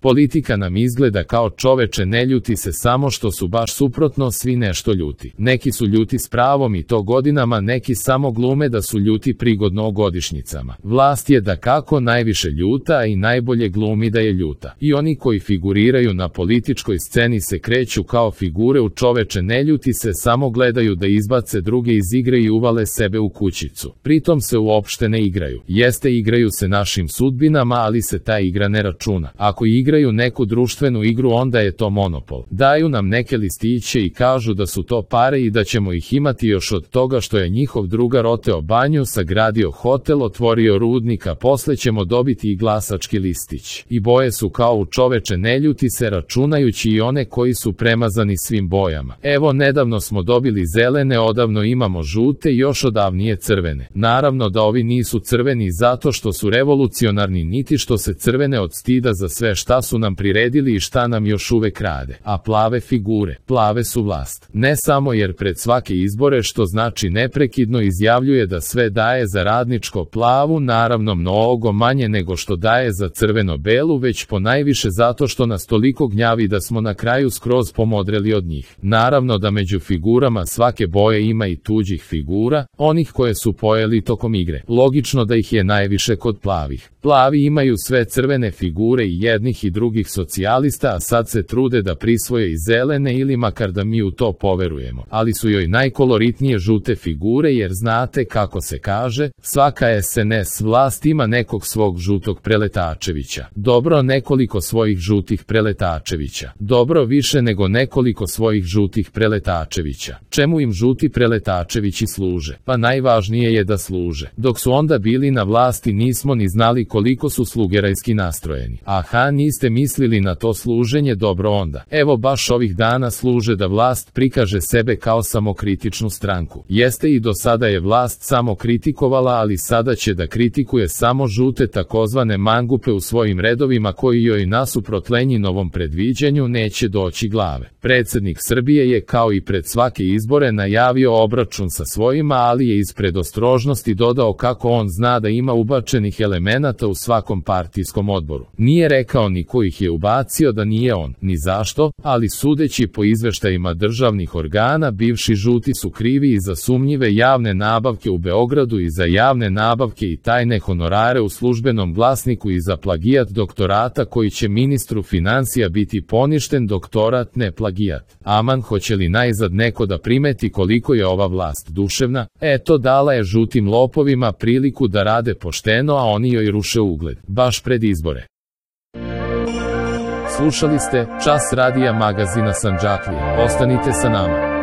Politika nam izgleda kao čoveče ne ljuti se samo što su baš suprotno svi nešto ljuti. Neki su ljuti s pravom i to godinama, neki samo glume da su ljuti prigodno o godišnjicama. Vlast je dakako najviše ljuta i najbolje glumi da je ljuta. I oni koji figuriraju na političkoj sceni se kreću kao figure u čoveče ne ljuti se, samo gledaju da izbace druge iz igre i uvale sebe u kućicu. Pritom se uopšte ne igraju. Jeste, igraju se našim sudbinama, ali se ta igra ne računa. Ako igraju neku društvenu igru, onda je to monopol. Daju nam neke listiće i kažu da su to pare i da ćemo ih imati još od toga što je njihov drugar oteo banju, sagradio hotel, otvorio rudnik, a posle ćemo dobiti i glasački listić. I boje su kao u čoveče ne ljuti se, računajući i one koji su premazani svim bojama. Evo, nedavno smo dobili zelene, odavno imamo žute i još odavnije crvene. Naravno da ovi nisu crveni zato što su revolucionarni, niti što se crvene od stida za sve šta su nam priredili i šta nam još uvek rade. A plave figure, plave su vlast. Ne samo jer pred svake izbore, što znači neprekidno izjavljuje da sve daje za radničko plavu, naravno mnogo manje nego što daje za crveno-belu, već ponajviše zato što nas toliko gnjavi da smo na kraju skroz pomodreli od njih. Naravno da među figurama svake boje ima i tuđih figura, onih koje su pojeli tokom igre. Logično da ih je najviše kod plavih. Plavi imaju sve crvene figure i jednih i drugih socijalista, a sad se trude da prisvoje i zelene, ili makar da mi u to poverujemo. Ali su joj najkoloritnije žute figure, jer znate kako se kaže, svaka SNS vlast ima nekog svog žutog preletačevića. Dobro, nekoliko svojih žutih preletačevića. Dobro, više nego nekoliko svojih žutih preletačevića. Čemu im žuti preletačevići služe? Pa najvažnije je da služe. Dok su onda bili na vlasti nismo ni znali koliko su slugerajski nastrojeni. Aha, niste mislili na to služenje? Dobro onda. Evo, baš ovih dana služe da vlast prikaže sebe kao samokritičnu stranku. Jeste, i do sada je vlast samo kritikovala, ali sada će da kritikuje samo žute takozvane mangupe u svojim redovima, koji joj nasuprot Lenjinovom predviđanju neće doći glave. Predsjednik Srbije je kao i pred svake izbore najavio obračun sa svojima, ali je iz predostrožnosti dodao kako on zna da ima ubačenih elemenata u svakom partijskom odboru. Nije rekao ni ko ih je ubacio, da nije on, ni zašto, ali sudeći po izveštajima državnih organa, bivši žuti su krivi i za sumnjive javne nabavke u Beogradu i za javne nabavke i tajne honorare u Službenom glasniku i za plagijat doktorata koji će ministru financija biti poništen, doktorat ne plagijat. Aman, hoće li najzad neko da primeti koliko je ova vlast duševna? Eto, dala je žutim lopovima priliku da rade pošteno, a oni joj ruše ugled, baš pred izbore. Slušali ste Čas radija magazina Sandžaklija. Ostanite sa nama.